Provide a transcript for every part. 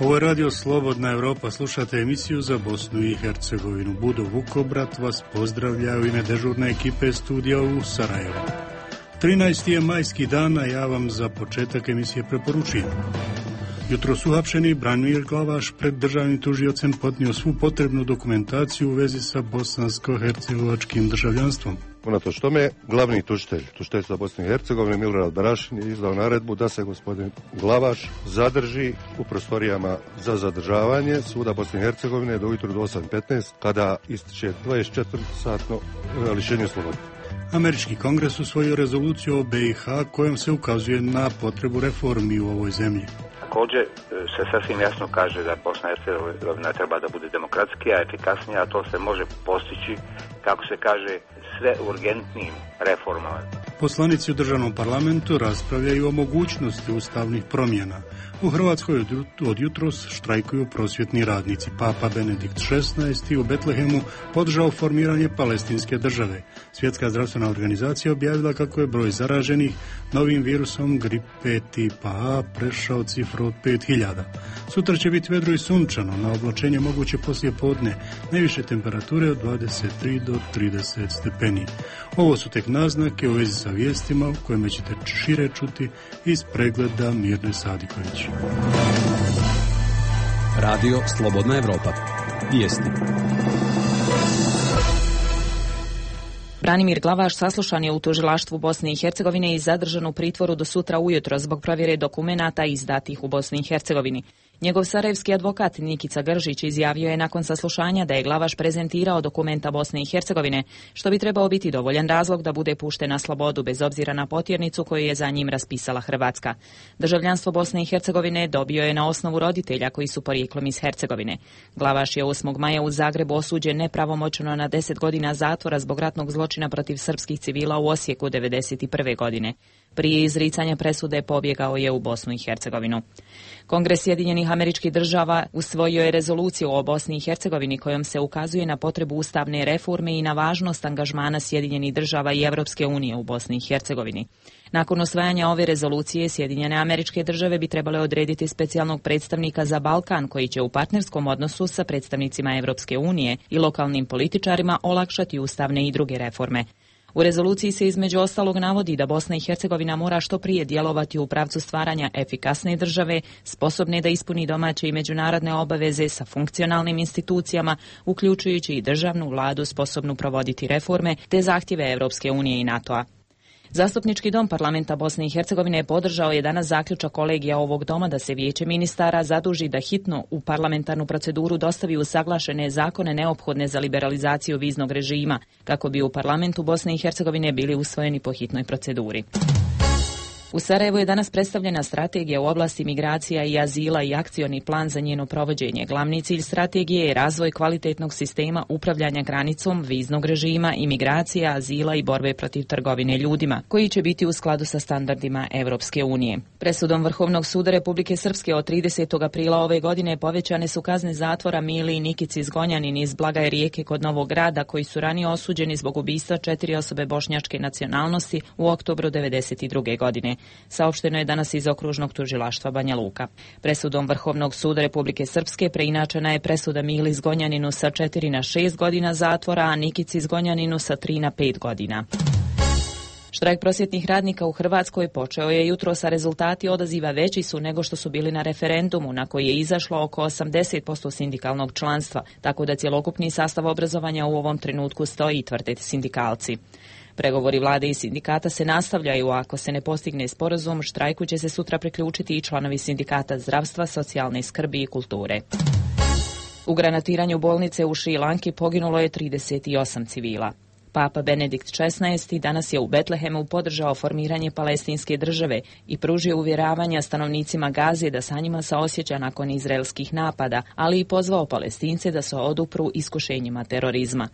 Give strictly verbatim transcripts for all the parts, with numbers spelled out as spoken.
Ovo je Radio Slobodna Evropa, slušate emisiju za Bosnu i Hercegovinu. Budo Vukobrat vas pozdravlja u ime dežurne ekipe studija u Sarajevu. trinaesti je majski dan, a ja vam za početak emisije preporučujem. Jutro su uhapšeni Branimir Glavaš pred državnim tužiocem podnio svu potrebnu dokumentaciju u vezi sa bosansko-hercegovačkim državljanstvom. Unatoč tome, glavni tužitelj, tužiteljstva Bosne i Hercegovine Milorad Barašin je izdao naredbu da se gospodin Glavaš zadrži u prostorijama za zadržavanje suda Bosne i Hercegovine do ujutru do osam petnaest kada ističe dvadeset četiri satno lišenje slobode. Američki kongres usvojio rezoluciju o B i H kojom se ukazuje na potrebu reformi u ovoj zemlji. Također se sasvim jasno kaže da Bosna i Hercegovina treba da bude demokratskija, efikasnija, a to se može postići, kako se kaže, sve urgentnijim reformama. Poslanici u državnom parlamentu raspravljaju o mogućnosti ustavnih promjena. U Hrvatskoj od jutros štrajkuju prosvjetni radnici. Papa Benedikt šesnaesti u Betlehemu podržao formiranje palestinske države. Svjetska zdravstvena organizacija objavila kako je broj zaraženih novim virusom gripe tipa A prešao cifru od pet hiljada. Sutra će biti vedro i sunčano, na oblačenje moguće poslije podne, najviše temperature od dvadeset tri do trideset stepeni. Ovo su tek naznake u vezi sa vijestima u kojima ćete šire čuti iz pregleda Mirne Sadiković. Radio Slobodna Evropa. Vijesti. Branimir Glavaš saslušan je u tužilaštvu Bosne i Hercegovine i zadržan u pritvoru do sutra ujutro zbog provjere dokumenata izdatih u Bosni i Hercegovini. Njegov sarajevski advokat Nikica Gržić izjavio je nakon saslušanja da je Glavaš prezentirao dokumenta Bosne i Hercegovine, što bi trebao biti dovoljan razlog da bude pušten na slobodu bez obzira na potjernicu koju je za njim raspisala Hrvatska. Državljanstvo Bosne i Hercegovine dobio je na osnovu roditelja koji su porijeklom iz Hercegovine. Glavaš je osmog maja u Zagrebu osuđen nepravomoćno na deset godina zatvora zbog ratnog zločina protiv srpskih civila u Osijeku devedeset prve godine. Prije izricanja presude pobjegao je u Bosnu i Hercegovinu. Kongres Sjedinjenih Američkih Država usvojio je rezoluciju o Bosni i Hercegovini kojom se ukazuje na potrebu ustavne reforme i na važnost angažmana Sjedinjenih Država i Evropske unije u Bosni i Hercegovini. Nakon usvajanja ove rezolucije, Sjedinjene Američke Države bi trebale odrediti specijalnog predstavnika za Balkan koji će u partnerskom odnosu sa predstavnicima Evropske unije i lokalnim političarima olakšati ustavne i druge reforme. U rezoluciji se između ostalog navodi da Bosna i Hercegovina mora što prije djelovati u pravcu stvaranja efikasne države, sposobne da ispuni domaće i međunarodne obaveze sa funkcionalnim institucijama, uključujući i državnu vladu sposobnu provoditi reforme, te zahtjeve Evropske unije i NATO-a. Zastupnički dom parlamenta Bosne i Hercegovine podržao je danas zaključak kolegija ovog doma da se vijeće ministara zaduži da hitno u parlamentarnu proceduru dostavi usaglašene zakone neophodne za liberalizaciju viznog režima, kako bi u parlamentu Bosne i Hercegovine bili usvojeni po hitnoj proceduri. U Sarajevu je danas predstavljena strategija u oblasti migracija i azila i akcioni plan za njeno provođenje. Glavni cilj strategije je razvoj kvalitetnog sistema upravljanja granicom, viznog režima, imigracija, azila i borbe protiv trgovine ljudima, koji će biti u skladu sa standardima Evropske unije. Presudom Vrhovnog suda Republike Srpske od tridesetog aprila ove godine povećane su kazne zatvora Mili i Nikici Zgonjanin iz Blagaje Rijeke kod Novog Grada, koji su ranije osuđeni zbog ubistva četiri osobe bošnjačke nacionalnosti u oktobru devedeset druge godine. Saopšteno je danas iz okružnog tužilaštva Banja Luka. Presudom Vrhovnog suda Republike Srpske preinačena je presuda Mili Zgonjaninu sa četiri na šest godina zatvora, a Nikici Zgonjaninu sa tri na pet godina. Štrajk prosvjetnih radnika u Hrvatskoj počeo je jutros, a rezultati odaziva veći su nego što su bili na referendumu, na koji je izašlo oko osamdeset posto sindikalnog članstva, tako da cjelokupni sastav obrazovanja u ovom trenutku stoji, tvrde sindikalci. Pregovori vlade i sindikata se nastavljaju, a ako se ne postigne sporazum, štrajku će se sutra priključiti i članovi sindikata zdravstva, socijalne skrbi i kulture. U granatiranju bolnice u Šri Lanki poginulo je trideset osam civila. Papa Benedikt šesnaesti danas je u Betlehemu podržao formiranje palestinske države i pružio uvjeravanja stanovnicima Gaze da sa njima saosjeća nakon izraelskih napada, ali i pozvao Palestince da se odupru iskušenjima terorizma.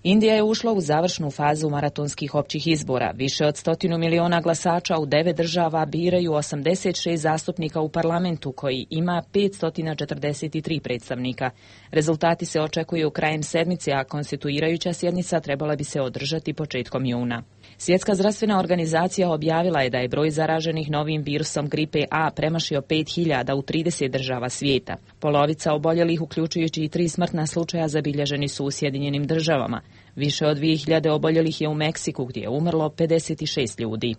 Indija je ušla u završnu fazu maratonskih općih izbora. Više od stotinu miliona glasača u devet država biraju osamdeset šest zastupnika u parlamentu, koji ima petsto četrdeset tri predstavnika. Rezultati se očekuju krajem sedmice, a konstituirajuća sjednica trebala bi se održati početkom juna. Svjetska zdravstvena organizacija objavila je da je broj zaraženih novim virusom gripe A premašio pet hiljada u trideset država svijeta. Polovica oboljelih, uključujući i tri smrtna slučaja, zabilježeni su u Sjedinjenim državama. Više od dvije hiljade oboljelih je u Meksiku, gdje je umrlo pedeset šest ljudi.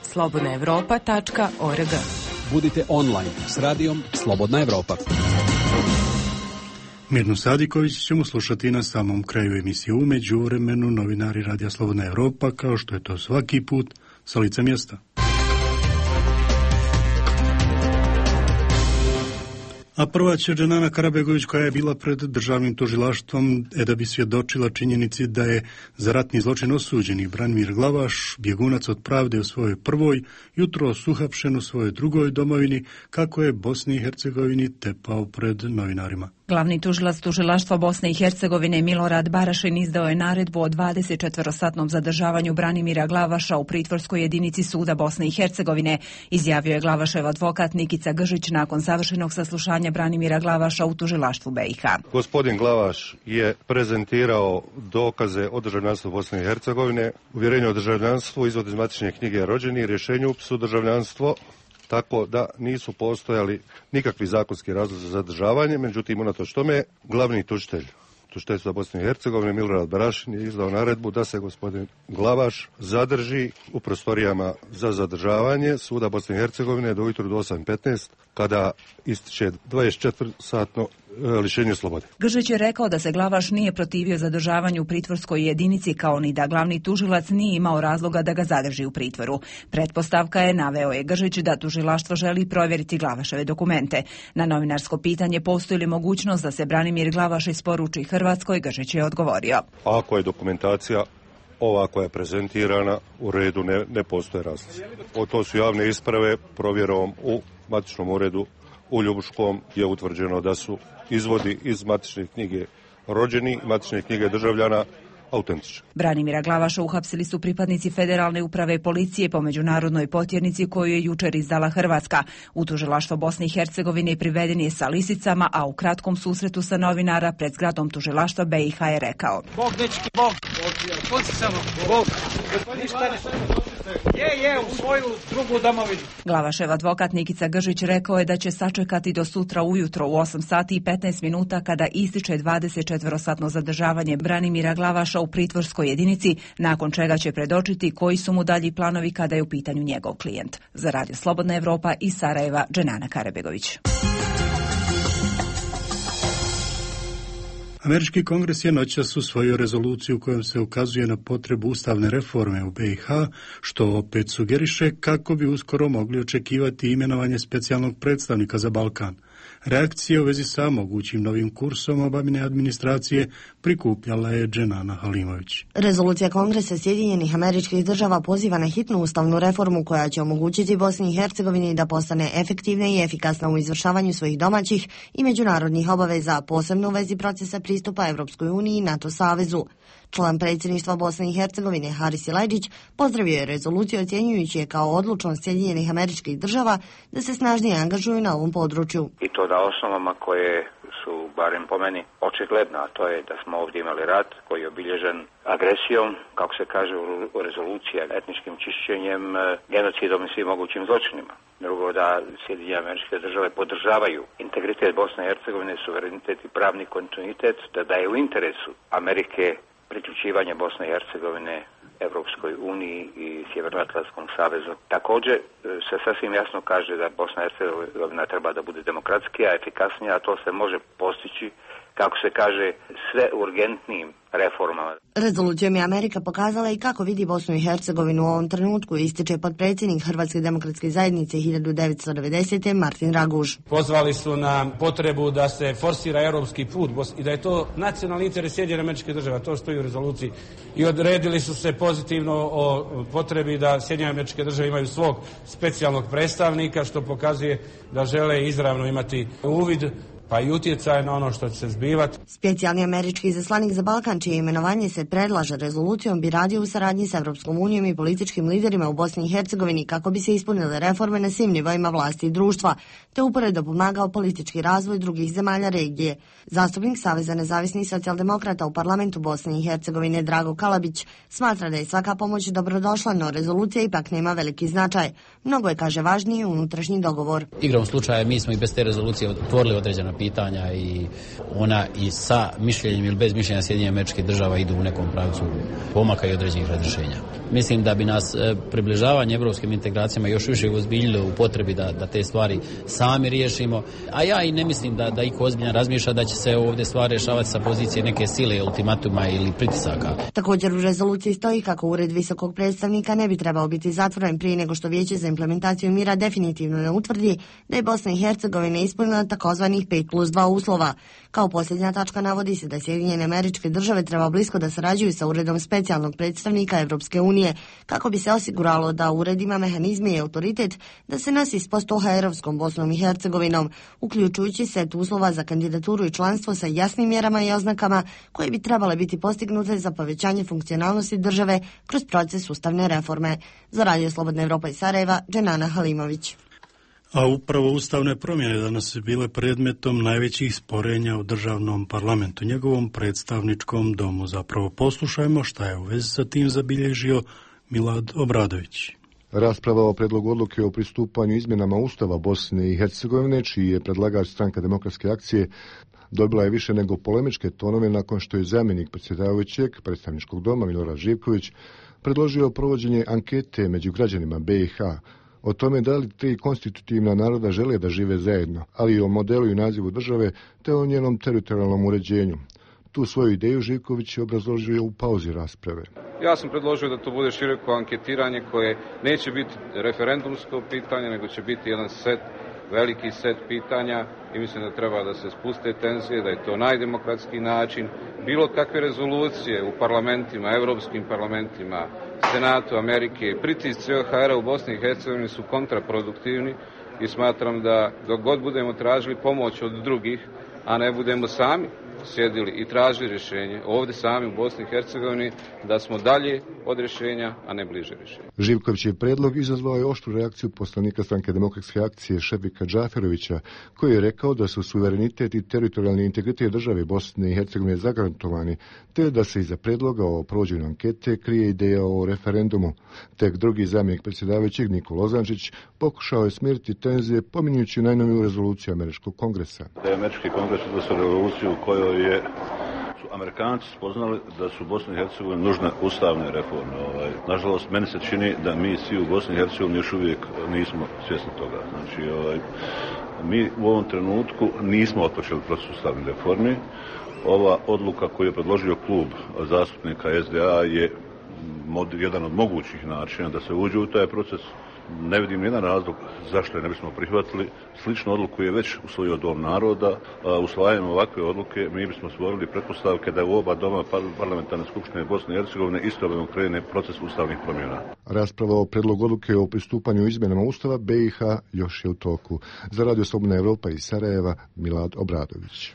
slobodna evropa tačka org. Budite online s radijom Slobodna Evropa. Mirnu Sadiković ćemo slušati na samom kraju emisije. U međuvremenu novinari Radija Slobodna Evropa, kao što je to svaki put, sa lica mjesta. A prva će Dženana Karabegović, koja je bila pred državnim tužilaštvom e da bi svjedočila činjenici da je za ratni zločin osuđeni Branimir Glavaš, bjegunac od pravde u svojoj prvoj, jutros uhapšen u svojoj drugoj domovini, kako je Bosni i Hercegovini tepao pred novinarima. Glavni tužilac tužilaštva Bosne i Hercegovine Milorad Barašin izdao je naredbu o dvadesetčetvorosatnom zadržavanju Branimira Glavaša u pritvorskoj jedinici suda Bosne i Hercegovine, izjavio je Glavašev advokat Nikica Gržić nakon završenog saslušanja Branimira Glavaša u tužilaštvu B i H. Gospodin Glavaš je prezentirao dokaze o državljanstvu Bosne i Hercegovine, uvjerenje o državljanstvu, izvod iz matične knjige rođeni, rješenje o upisu državljanstvo, tako da nisu postojali nikakvi zakonski razlozi za zadržavanje. Međutim, unatoč tome, glavni tužitelj tužiteljstva Bosne i Hercegovine Milorad Barašin je izdao naredbu da se gospodin Glavaš zadrži u prostorijama za zadržavanje suda Bosne i Hercegovine do ujutru do osam i petnaest, kada ističe dvadeset četiri satno lišenje slobode. Gržić je rekao da se Glavaš nije protivio zadržavanju u pritvorskoj jedinici, kao ni da glavni tužilac nije imao razloga da ga zadrži u pritvoru. Pretpostavka je, naveo je Gržić, da tužilaštvo želi provjeriti Glavaševe dokumente. Na novinarsko pitanje postoji li mogućnost da se Branimir Glavaš isporuči Hrvatskoj, Gržić je odgovorio: ako je dokumentacija ova koja je prezentirana u redu, ne, ne postoje razlozi. To su javne isprave, provjerom u matičnom uredu u Ljubuškom je utvrđeno da su izvodi iz matične knjige rođeni i matične knjige državljana autentični. Branimira Glavaša uhapsili su pripadnici Federalne uprave policije po međunarodnoj potjernici koju je jučer izdala Hrvatska. U tužilaštvo Bosne i Hercegovine priveden je sa lisicama, a u kratkom susretu sa novinara pred zgradom tužilaštva B i H je rekao: Bog, dečki, Bog, Bog, samo, Bog, je, je, u svoju drugu domovinu. Glavašev advokat Nikica Gržić rekao je da će sačekati do sutra ujutro u osam sati i petnaest minuta, kada ističe dvadesetčetvorosatno zadržavanje Branimira Glavaša u pritvorskoj jedinici, nakon čega će predočiti koji su mu dalji planovi kada je u pitanju njegov klijent. Za Radio Slobodna Evropa iz Sarajeva, Dženana Karabegović. Američki kongres je noćas usvojio rezoluciju kojom se ukazuje na potrebu ustavne reforme u B i H, što opet sugeriše kako bi uskoro mogli očekivati imenovanje specijalnog predstavnika za Balkan. Reakcije u vezi sa mogućim novim kursom Obamine administracije prikupljala je Dženana Halimović. Rezolucija Kongresa Sjedinjenih Američkih Država poziva na hitnu ustavnu reformu koja će omogućiti Bosni i Hercegovini da postane efektivna i efikasna u izvršavanju svojih domaćih i međunarodnih obaveza, posebno u vezi procesa pristupa Evropskoj uniji i NATO savezu. Član predsjedništva Bosne i Hercegovine Haris Silajdžić pozdravio je rezoluciju, ocjenjujući je kao odlučnost Sjedinjenih Američkih Država da se snažnije angažuju na ovom području. I to na osnovama koje su, barem po meni, očigledna, a to je da smo ovdje imali rat koji je obilježen agresijom, kako se kaže u rezoluciji, etničkim čišćenjem, genocidom i svim mogućim zločinima. Drugo, da Sjedinjene Američke Države podržavaju integritet Bosne i Hercegovine, suverenitet i pravni kontinuitet, da, da je u interesu Amerike priključivanje Bosne i Hercegovine Evropskoj uniji i Sjevernoatlantskom savezu. Također se sasvim jasno kaže da Bosna i Hercegovina treba da bude demokratskija, efikasnija, a to se može postići, kako se kaže, sve urgentnijim reformama. Rezolucijom je Amerika pokazala i kako vidi Bosnu i Hercegovinu u ovom trenutku, ističe potpredsjednik Hrvatske demokratske zajednice hiljadu devetsto devedesete. Martin Raguž. Pozvali su na potrebu da se forsira europski put i da je to nacionalni interes Sjedinjenih Američkih Država, to stoji u rezoluciji. I odredili su se pozitivno o potrebi da Sjedinjene Američke Države imaju svog specijalnog predstavnika, što pokazuje da žele izravno imati uvid pa i utjecaj na ono što će se zbivati. Specijalni američki izaslanik za Balkan, čije imenovanje se predlaže rezolucijom, bi radio u saradnji s Evropskom unijom i političkim liderima u Bosni i Hercegovini kako bi se ispunile reforme na svim nivoima vlasti i društva, te uporedo pomagao politički razvoj drugih zemalja regije. Zastupnik Saveza nezavisnih socijaldemokrata u parlamentu Bosne i Hercegovine Drago Kalabić smatra da je svaka pomoć dobrodošla, no rezolucija ipak nema veliki značaj. Mnogo je, kaže, važniji unutrašnji dogovor. Igrom slučaja mi smo i bez te rezolucije otvorili određena pitanja i ona i sa mišljenjem ili bez mišljenja Sjedinjenih Američkih Država idu u nekom pravcu pomaka i određenih razrješenja. Mislim da bi nas približavanje evropskim integracijama još više uzbiljilo u potrebi da, da te stvari sami riješimo, a ja i ne mislim da, da iko ozbiljno razmišlja da će se ovdje stvari rješavati sa pozicije neke sile, ultimatuma ili pritisaka. Također u rezoluciji stoji kako ured visokog predstavnika ne bi trebao biti zatvoren prije nego što Vijeće za implementaciju mira definitivno ne utvrdi da je Bosna i Hercegovina ispunila takozvanih pet plus dva uslova. Kao posljednja tačka navodi se da Sjedinjene Američke Države treba blisko da sarađuju sa uredom specijalnog predstavnika Evropske unije kako bi se osiguralo da ured ima mehanizme i autoritet da se nosi s postohajerovskom Bosnom i Hercegovinom, uključujući set uslova za kandidaturu i članstvo sa jasnim mjerama i oznakama koje bi trebale biti postignute za povećanje funkcionalnosti države kroz proces ustavne reforme. Za Radio Slobodna Evropa iz Sarajeva, Dženana Halimović. A upravo ustavne promjene danas su bile predmetom najvećih sporenja u državnom parlamentu, njegovom predstavničkom domu. Zapravo poslušajmo šta je u vezi sa tim zabilježio Milad Obradović. Rasprava o predlogu odluke o pristupanju izmjenama Ustava Bosne i Hercegovine, čiji je predlagač Stranka demokratske akcije, dobila je više nego polemičke tonove nakon što je zamjenik predsjedavajućeg predstavničkog doma Milorad Živković predložio provođenje ankete među građanima B i H o tome da li tri konstitutivna naroda žele da žive zajedno, ali i o modelu i nazivu države te o njenom teritorijalnom uređenju. Tu svoju ideju Živković je obrazložio u pauzi rasprave. Ja sam predložio da to bude široko anketiranje koje neće biti referendumsko pitanje, nego će biti jedan set, veliki set pitanja i mislim da treba da se spuste tenzije, da je to najdemokratski način. Bilo kakve rezolucije u parlamentima, evropskim parlamentima, Senatu Amerike, pritisci O H R-a u Bosni i Hercegovini su kontraproduktivni i smatram da dok god budemo tražili pomoć od drugih, a ne budemo sami sjedili i tražili rješenje ovdje sami u Bosni i Hercegovini, da smo dalje od rješenja, a ne bliže rješenja. Živkovićev predlog izazvao je oštru reakciju poslanika Stranke demokratske akcije Šefika Džaferovića, koji je rekao da su suverenitet i teritorijalni integritet države Bosne i Hercegovine zagarantovani, te da se iza predloga o provođenju ankete krije ideja o referendumu. Tek drugi zamjenik predsjedavajućeg Nikola Ozančić pokušao je smiriti tenzije pominjujući najnoviju rezoluciju Američkog kongresa. Da je Američki kongres odnosio rezoluciju u kojoj je su Amerikanci spoznali da su u Bosni i Hercegovini nužne ustavne reforme. Ovaj, nažalost, meni se čini da mi svi u Bosni i Hercegovini još uvijek nismo svjesni toga. Znači, ovaj, mi u ovom trenutku nismo otpočeli proces ustavnih reformi. Ova odluka koju je predložio klub zastupnika S D A je mod, jedan od mogućih načina da se uđe u taj proces. Ne vidim nijedan razlog zašto je ne bismo prihvatili. Sličnu odluku je već usvojio Dom naroda. Usvajanjem ovakve odluke mi bismo stvorili pretpostavke da u oba doma parlamentarne skupštine Bosne i Hercegovine istovremeno krene proces ustavnih promjena. Rasprava o predlogu odluke o pristupanju izmjenama Ustava B i H još je u toku. Za Radio Slobodna Evropa iz Sarajeva, Milad Obradović.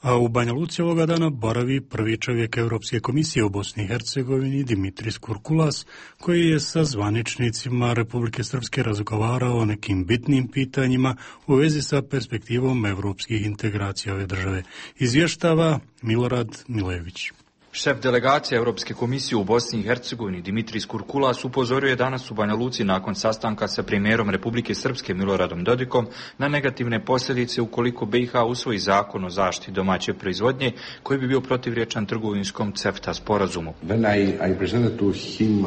A u Banja Luci ovoga dana boravi prvi čovjek Europske komisije u Bosni i Hercegovini Dimitris Kurkulas, koji je sa zvaničnicima Republike Srpske razgovarao o nekim bitnim pitanjima u vezi sa perspektivom europskih integracija ove države. Izvještava Milorad Milević. Šef delegacije Europske komisije u Bosni i Hercegovini Dimitris Kurkulas upozorio je danas u Banja Luci nakon sastanka sa premijerom Republike Srpske Miloradom Dodikom na negativne posljedice ukoliko B i H usvoji zakon o zaštiti domaće proizvodnje koji bi bio protivrječan trgovinskom CEFTA sporazumu. When I, I presented to him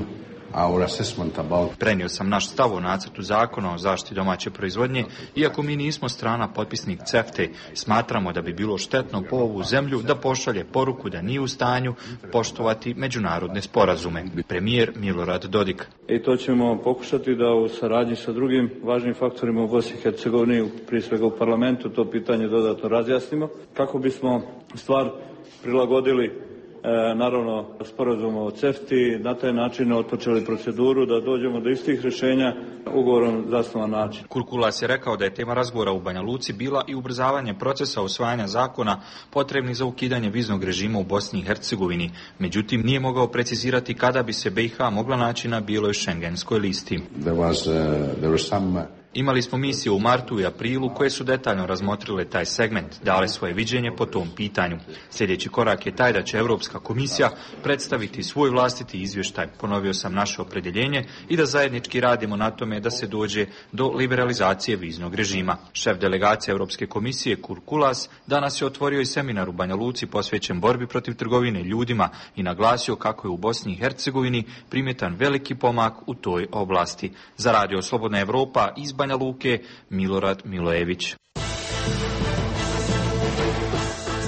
our assessment about... Prenio sam naš stav o nacrtu zakona o zaštiti domaće proizvodnje, iako mi nismo strana potpisnik CEFTE, smatramo da bi bilo štetno po ovu zemlju da pošalje poruku da nije u stanju poštovati međunarodne sporazume. Premijer Milorad Dodik. I to ćemo pokušati da u saradnji sa drugim važnim faktorima u Bosni i Hercegovini, prije svega u parlamentu, to pitanje dodatno razjasnimo, kako bismo stvar prilagodili naravno sporazum o CEFTA-i, na taj način otpočeli proceduru da dođemo do istih rješenja ugovorom zasnovan način. Kurkulas je rekao da je tema razgovora u Banja Luci bila i ubrzavanje procesa usvajanja zakona potrebnih za ukidanje viznog režima u Bosni i Hercegovini. Međutim, nije mogao precizirati kada bi se B i H mogla naći na bijeloj šengenskoj listi. There was, uh, there was some... Imali smo misije u martu i aprilu koje su detaljno razmotrile taj segment, dale svoje viđenje po tom pitanju. Sljedeći korak je taj da će Europska komisija predstaviti svoj vlastiti izvještaj. Ponovio sam naše opredjeljenje i da zajednički radimo na tome da se dođe do liberalizacije viznog režima. Šef delegacije Europske komisije Kurkulas danas je otvorio i seminar u Banja Luci posvećen borbi protiv trgovine ljudima i naglasio kako je u Bosni i Hercegovini primjetan veliki pomak u toj oblasti. Za Radio Slobodna Evropa iz Banja Luke, Milorad Milojević.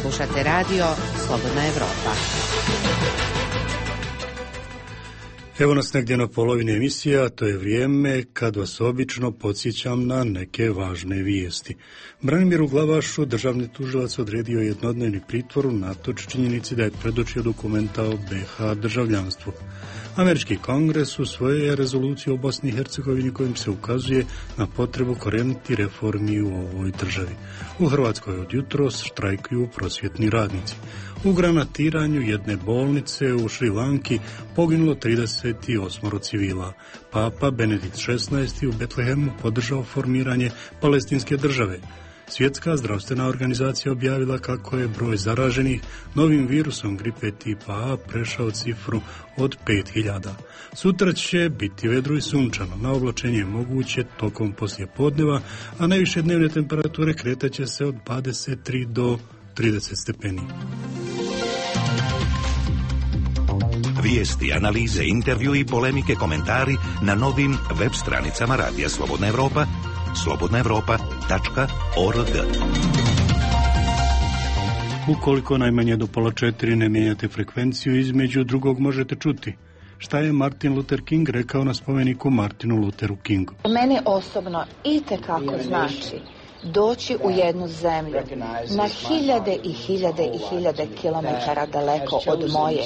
Slušate radio Slobodna Evropa. Evo nas negdje na polovini emisija, to je vrijeme kad vas obično podsjećam na neke važne vijesti. Branimiru Glavašu državni tužilac odredio jednodnevni pritvor unatoč činjenici da je predočio dokumenta o B i H državljanstvu. Američki kongres usvojio je rezoluciju o Bosni i Hercegovini kojim se ukazuje na potrebu koreniti reformi u ovoj državi. U Hrvatskoj od jutros štrajkuju prosvjetni radnici. U granatiranju jedne bolnice u Šri Lanki poginulo trideset osam civila. Papa Benedikt šesnaesti u Betlehemu podržao formiranje palestinske države. Svjetska zdravstvena organizacija objavila kako je broj zaraženih novim virusom gripe tipa A prešao cifru od pet hiljada. Sutra će biti vedro i sunčano, na oblačenje je moguće tokom poslijepodneva, a najviše dnevne temperature kretaće se od dvadeset tri do trideset stepeni. Vijesti, analize, intervju i polemike, komentari na novim web stranicama Radija Slobodna Evropa, slobodna evropa tačka org. Ukoliko najmanje do pola četiri ne mijenjate frekvenciju, između drugog možete čuti šta je Martin Luther King rekao na spomeniku Martinu Lutheru Kingu. Meni osobno itekako znači doći u jednu zemlju na hiljade i hiljade i hiljade kilometara daleko od moje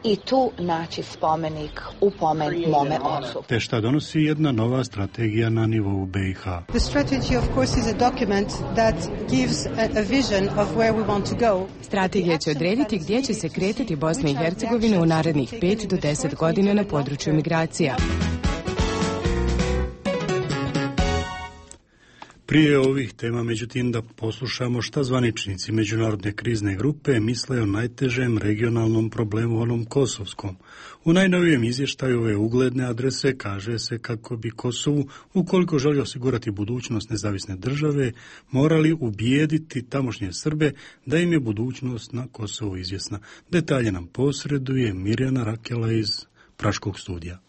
i tu naći spomenik u pomen mome ocu. Te šta donosi jedna nova strategija na nivou B i H. The strategy of course is a document that gives a vision of where we want to go. Strategija će odrediti gdje će se kretati Bosna i Hercegovina u narednih pet do deset godina na području migracija. Prije ovih tema, međutim, da poslušamo šta zvaničnici Međunarodne krizne grupe misle o najtežem regionalnom problemu, onom kosovskom. U najnovijem izvještaju ove ugledne adrese kaže se kako bi Kosovu, ukoliko želi osigurati budućnost nezavisne države, morali ubijediti tamošnje Srbe da im je budućnost na Kosovu izvjesna. Detalje nam posreduje Mirjana Rakela iz Praškog studija.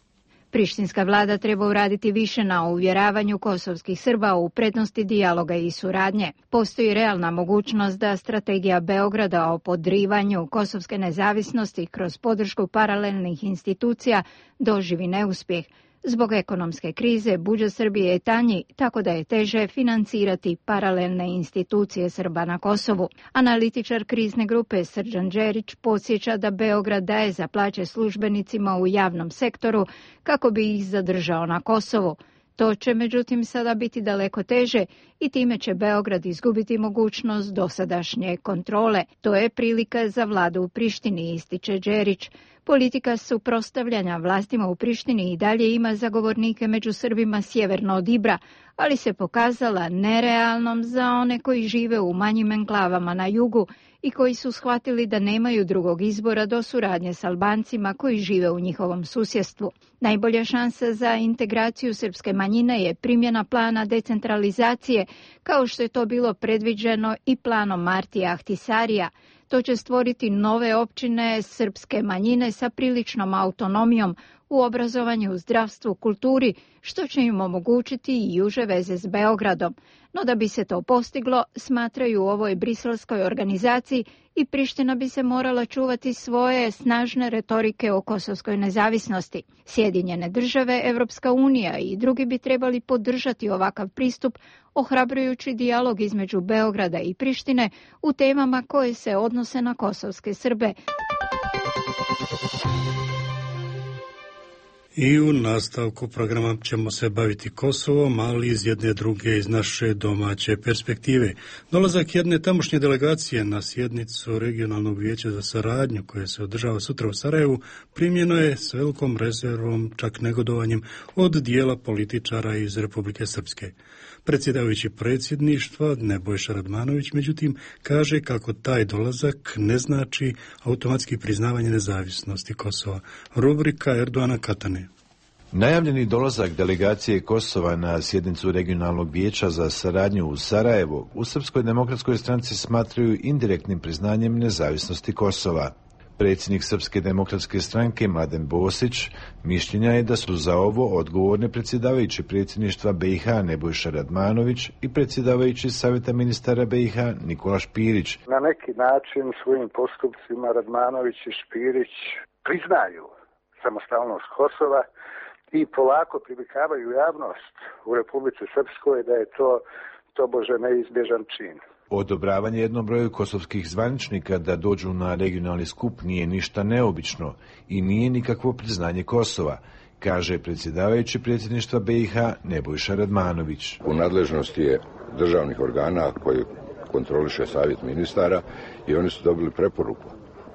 Prištinska vlada treba uraditi više na uvjeravanju kosovskih Srba u prednosti dijaloga i suradnje. Postoji realna mogućnost da strategija Beograda o podrivanju kosovske nezavisnosti kroz podršku paralelnih institucija doživi neuspjeh. Zbog ekonomske krize budžet Srbije je tanji, tako da je teže financirati paralelne institucije Srba na Kosovu. Analitičar krizne grupe Srđan Đerić podsjeća da Beograd daje za plaće službenicima u javnom sektoru kako bi ih zadržao na Kosovu. To će međutim sada biti daleko teže i time će Beograd izgubiti mogućnost dosadašnje kontrole. To je prilika za vladu u Prištini, ističe Đerić. Politika suprotstavljanja vlastima u Prištini i dalje ima zagovornike među Srbima sjeverno od Ibra, ali se pokazala nerealnom za one koji žive u manjim enklavama na jugu i koji su shvatili da nemaju drugog izbora do suradnje s Albancima koji žive u njihovom susjedstvu. Najbolja šansa za integraciju srpske manjine je primjena plana decentralizacije, kao što je to bilo predviđeno i planom Martija Ahtisarija. To će stvoriti nove općine srpske manjine sa priličnom autonomijom u obrazovanju, zdravstvu, kulturi, što će im omogućiti i uže veze s Beogradom. No da bi se to postiglo, smatraju u ovoj briselskoj organizaciji, i Priština bi se morala čuvati svoje snažne retorike o kosovskoj nezavisnosti. Sjedinjene države, Evropska unija i drugi bi trebali podržati ovakav pristup, ohrabrujući dijalog između Beograda i Prištine u temama koje se odnose na kosovske Srbe. I u nastavku programa ćemo se baviti Kosovom, ali iz jedne druge, iz naše domaće perspektive. Dolazak jedne tamošnje delegacije na sjednicu Regionalnog vijeća za saradnju, koje se održava sutra u Sarajevu, primljeno je s velikom rezervom, čak negodovanjem, od dijela političara iz Republike Srpske. Predsjedavajući predsjedništva Nebojša Radmanović, međutim, kaže kako taj dolazak ne znači automatski priznavanje nezavisnosti Kosova. Rubrika Erdoana Katane. Najavljeni dolazak delegacije Kosova na sjednicu Regionalnog vijeća za saradnju u Sarajevo u Srpskoj demokratskoj stranci smatraju indirektnim priznanjem nezavisnosti Kosova. Predsjednik Srpske demokratske stranke Mladen Bosić mišljenja je da su za ovo odgovorni predsjedavajući predsjedništva B i H Nebojša Radmanović i predsjedavajući Savjeta ministara B i H Nikola Špirić. Na neki način svojim postupcima Radmanović i Špirić priznaju samostalnost Kosova i polako privikavaju javnost u Republici Srpskoj da je to tobože neizbježan čin. Odobravanje jednom broju kosovskih zvaničnika da dođu na regionalni skup nije ništa neobično i nije nikakvo priznanje Kosova, kaže predsjedavajući predsjedništva B i H Nebojša Radmanović. U nadležnosti je državnih organa koji kontroliše Savjet ministara i oni su dobili preporuku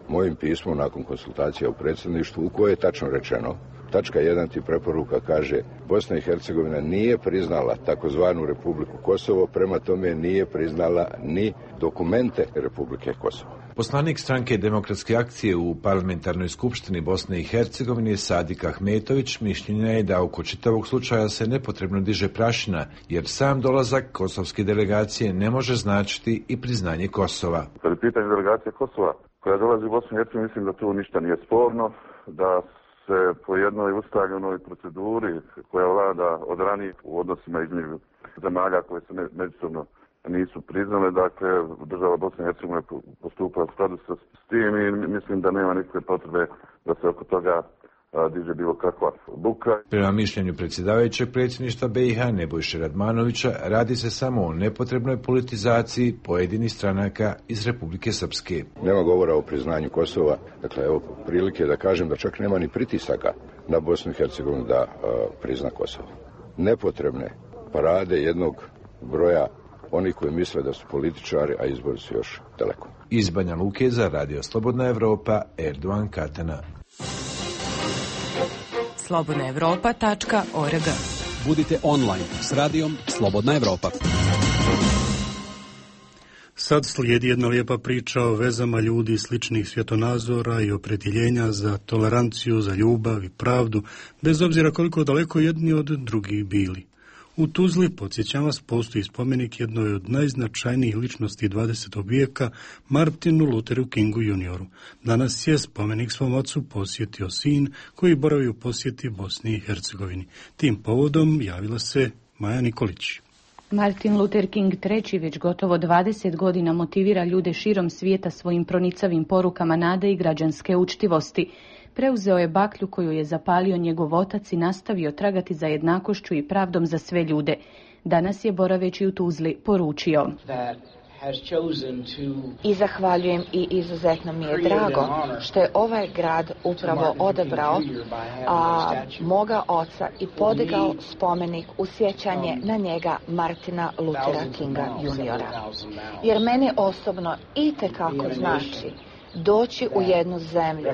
mojim pismom nakon konsultacija u predsjedništvu u kojoj je tačno rečeno, tačka jedan ti preporuka kaže Bosna i Hercegovina nije priznala takozvanu Republiku Kosovo, prema tome nije priznala ni dokumente Republike Kosovo. Poslanik stranke Demokratske akcije u parlamentarnoj skupštini Bosne i Hercegovine Sadik Ahmetović mišljenja je da oko čitavog slučaja se nepotrebno diže prašina, jer sam dolazak kosovske delegacije ne može značiti i priznanje Kosova. Kad je pitanje delegacije Kosova koja dolazi u Bosnu i Hercegovinu, mislim da tu ništa nije sporno, da se po jednoj ustaljenoj proceduri koja vlada od ranije u odnosima između zemalja koje se međusobno nisu priznale, dakle država Bosne i Hercegovine postupa u skladu sa s tim i mislim da nema nikakve potrebe da se oko toga a, diže bilo kakva buka. Prema mišljenju predsjedavajućeg predsjedništva B i H Nebojše Radmanovića radi se samo o nepotrebnoj politizaciji pojedinih stranaka iz Republike Srpske. Nema govora o priznanju Kosova, dakle evo prilike da kažem da čak nema ni pritisaka na Bosnu i Hercegovinu da a, prizna Kosovo. Nepotrebne parade jednog broja oni koji misle da su političari, a izbori su još daleko. Iz Banja Luke za Radio Slobodna Evropa, Erdoan Katana. slobodna evropa tačka org. Budite online s radijom Slobodna Evropa. Sad slijedi jedna lijepa priča o vezama ljudi sličnih svjetonazora i opredjeljenja za toleranciju, za ljubav i pravdu, bez obzira koliko daleko jedni od drugih bili. U Tuzli, podsjećam vas, postoji spomenik jednoj od najznačajnijih ličnosti dvadesetog vijeka, Martinu Lutheru Kingu junioru. Danas je spomenik svom ocu posjetio sin koji boravi u posjeti Bosni i Hercegovini. Tim povodom javila se Maja Nikolić. Martin Luther King treći već gotovo dvadeset godina motivira ljude širom svijeta svojim pronicavim porukama nade i građanske učtivosti. Preuzeo je baklju koju je zapalio njegov otac i nastavio tragati za jednakošću i pravdom za sve ljude. Danas je, boraveći u Tuzli, poručio: I zahvaljujem i izuzetno mi je drago što je ovaj grad upravo odabrao a, moga oca i podigao spomenik u sjećanje na njega, Martina Luthera Kinga juniora. Jer meni osobno itekako znači doći u jednu zemlju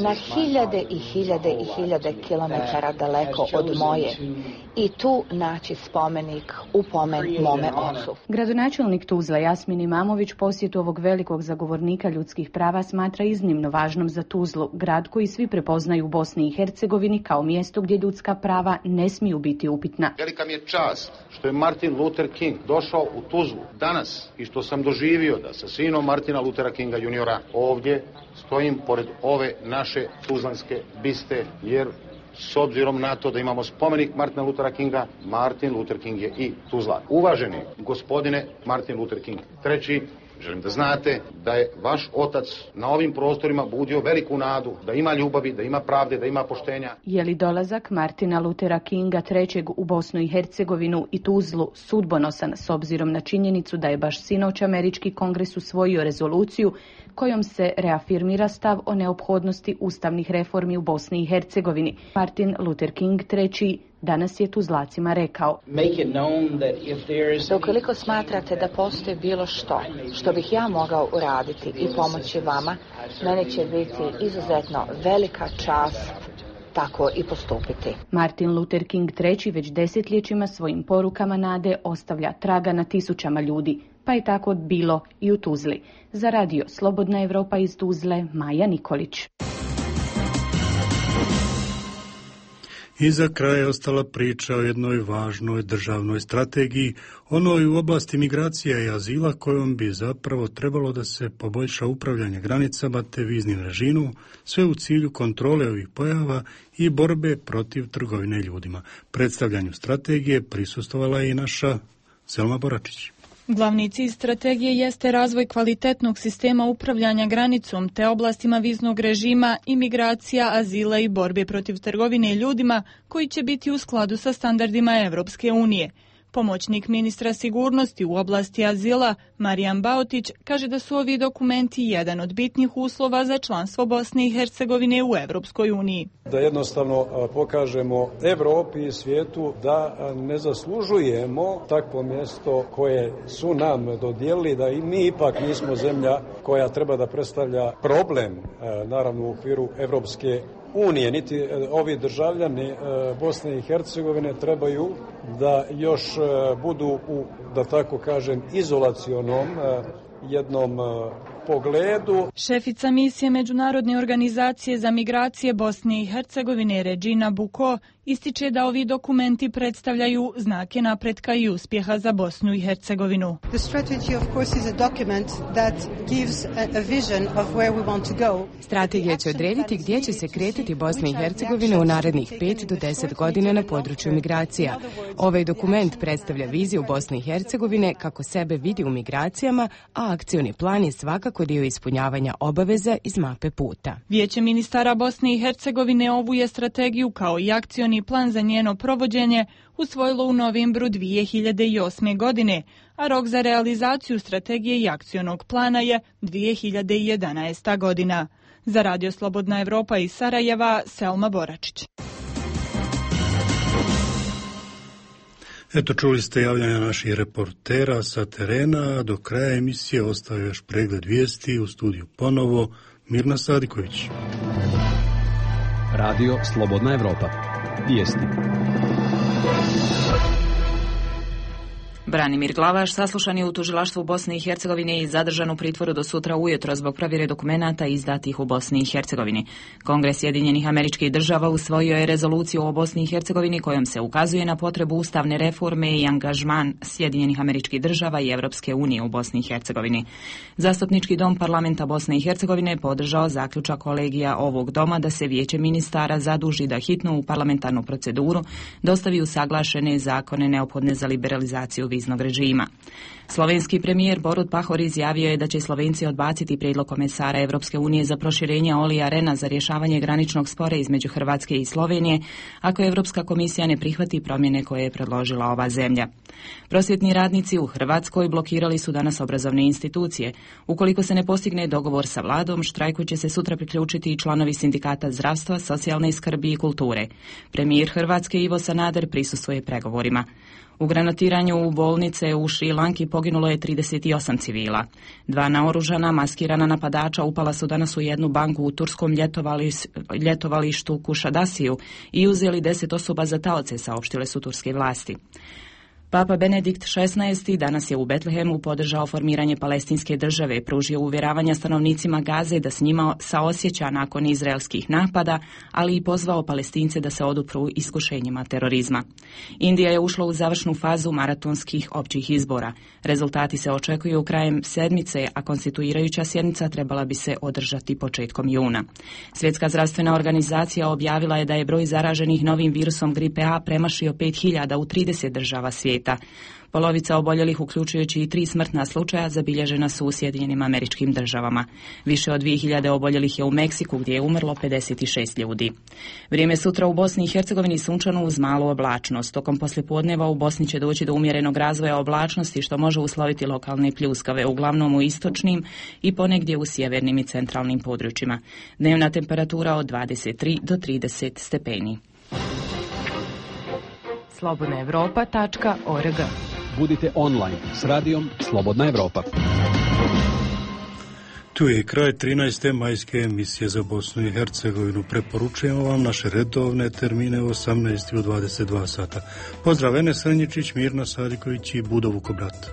na hiljade i hiljade i hiljade kilometara daleko od moje i tu naći spomenik u pomen mome ocu. Gradonačelnik Tuzla Jasmin Imamović posjetu ovog velikog zagovornika ljudskih prava smatra iznimno važnom za Tuzlu, grad koji svi prepoznaju u Bosni i Hercegovini kao mjesto gdje ljudska prava ne smiju biti upitna. Velika mi je čast što je Martin Luther King došao u Tuzlu danas i što sam doživio da sa sinom Martina Luthera Kinga juniora ovdje stojim pored ove naše tuzlanske biste, jer s obzirom na to da imamo spomenik Martina Luthera Kinga, Martin Luther King je i Tuzla. Uvaženi gospodine Martin Luther King treći, Želim da znate da je vaš otac na ovim prostorima budio veliku nadu, da ima ljubavi, da ima pravde, da ima poštenja. Je li dolazak Martina Luthera Kinga trećeg u Bosnu i Hercegovinu i Tuzlu sudbonosan s obzirom na činjenicu da je baš sinoć američki kongres usvojio rezoluciju kojom se reafirmira stav o neophodnosti ustavnih reformi u Bosni i Hercegovini? Martin Luther King treći danas je Tuzlacima rekao: da ukoliko smatrate da postoji bilo što što bih ja mogao uraditi i pomoći vama, meni će biti izuzetno velika čast tako i postupiti. Martin Luther King treći već desetljećima svojim porukama nade ostavlja traga na tisućama ljudi, pa je tako bilo i u Tuzli. Za radio Slobodna Evropa iz Tuzle, Maja Nikolić. I za kraj je ostala priča o jednoj važnoj državnoj strategiji, onoj u oblasti migracija i azila kojom bi zapravo trebalo da se poboljša upravljanje granicama te viznim režimom, sve u cilju kontrole ovih pojava i borbe protiv trgovine ljudima. Predstavljanju strategije prisustvovala je i naša Selma Boračić. Glavni cilj strategije jeste razvoj kvalitetnog sistema upravljanja granicom te oblastima viznog režima, imigracija, azila i borbe protiv trgovine ljudima koji će biti u skladu sa standardima Evropske unije. Pomoćnik ministra sigurnosti u oblasti azila, Marijan Baotić, kaže da su ovi dokumenti jedan od bitnih uslova za članstvo Bosne i Hercegovine u Evropskoj uniji. Da jednostavno pokažemo Evropi i svijetu da ne zaslužujemo takvo mjesto koje su nam dodijelili, da i mi ipak nismo zemlja koja treba da predstavlja problem, naravno u okviru Evropske unije. Niti ovi državljani Bosne i Hercegovine trebaju da još budu u, da tako kažem, izolacionom jednom pogledu. Šefica misije Međunarodne organizacije za migracije Bosne i Hercegovine Regina Buko ističe da ovi dokumenti predstavljaju znake napretka i uspjeha za Bosnu i Hercegovinu. The strategy of course is a document that gives a vision of where we want to go. Strategija će odrediti gdje će se kretati Bosna i Hercegovina u narednih pet do deset godina na području migracija. Ovaj dokument predstavlja viziju Bosne i Hercegovine kako sebe vidi u migracijama, a akcioni plan je svakako dio ispunjavanja obaveza iz mape puta. Vijeće ministara Bosne i Hercegovine ovu je strategiju kao i akcioni plan za njeno provođenje usvojilo u novembru dvije hiljade osme. godine, a rok za realizaciju strategije i akcionog plana je dvije hiljade jedanaesta. godina. Za radio Slobodna Evropa iz Sarajeva, Selma Boračić. Eto, čuli ste javljanja naših reportera sa terena, do kraja emisije ostaje još pregled vijesti, u studiju ponovo Mirna Sadiković. Radio Slobodna Evropa. Vijesti. Branimir Glavaš saslušan je u tužilaštvu Bosne i Hercegovine i zadržan u pritvoru do sutra ujutro zbog provjere dokumenata izdatih u Bosni i Hercegovini. Kongres Sjedinjenih Američkih Država usvojio je rezoluciju o Bosni i Hercegovini kojom se ukazuje na potrebu ustavne reforme i angažman Sjedinjenih Američkih Država i Evropske unije u Bosni i Hercegovini. Zastupnički dom parlamenta Bosne i Hercegovine podržao zaključak kolegija ovog doma da se vijeće ministara zaduži da hitno u parlamentarnu proceduru dostavi usaglašene zakone neophodne za liberalizaciju viznog režima. Slovenski premijer Borut Pahor izjavio je da će Slovenci odbaciti prijedlog komesara Evropske unije za proširenje Olija Rena za rješavanje graničnog spora između Hrvatske i Slovenije, ako Evropska komisija ne prihvati promjene koje je predložila ova zemlja. Prosvjetni radnici u Hrvatskoj blokirali su danas obrazovne institucije. Ukoliko se ne postigne dogovor sa vladom, štrajku će se sutra priključiti i članovi sindikata zdravstva, socijalne skrbi i kulture. Premijer Hrvatske Ivo Sanader prisustvuje pregovorima. U granatiranju u bolnice u Šri Lanki poginulo je trideset osam civila. Dva naoružana, maskirana napadača upala su danas u jednu banku u turskom ljetovalištu Kušadasiju i uzeli deset osoba za taoce, saopštile su turske vlasti. Papa Benedikt šesnaesti danas je u Betlehemu podržao formiranje palestinske države, pružio uvjeravanja stanovnicima Gaze da s njima saosjeća nakon izraelskih napada, ali i pozvao Palestince da se odupru iskušenjima terorizma. Indija je ušla u završnu fazu maratonskih općih izbora. Rezultati se očekuju krajem sedmice, a konstituirajuća sjednica trebala bi se održati početkom juna. Svjetska zdravstvena organizacija objavila je da je broj zaraženih novim virusom gripe A premašio pet hiljada u trideset država svijeta. svijeta. Polovica oboljelih, uključujući i tri smrtna slučaja, zabilježena su u Sjedinjenim Američkim Državama. Više od dvije hiljade oboljelih je u Meksiku, gdje je umrlo pedeset šest ljudi. Vrijeme sutra u Bosni i Hercegovini sunčano uz malu oblačnost. Tokom poslijepodneva u Bosni će doći do umjerenog razvoja oblačnosti, što može usloviti lokalne pljuskave, uglavnom u istočnim i ponegdje u sjevernim i centralnim područjima. Dnevna temperatura od dvadeset tri do trideset stepeni. slobodna europa tačka org. Budite online s radijom Slobodna Evropa. Tu je kraj trinaeste majske emisije za Bosnu i Hercegovinu. Preporučujemo vam naše redovne termine u osamnaest i u dvadeset dva sata. Pozdrav, Enes Srnjičić, Mirna Sadiković i Budo Vukobrat.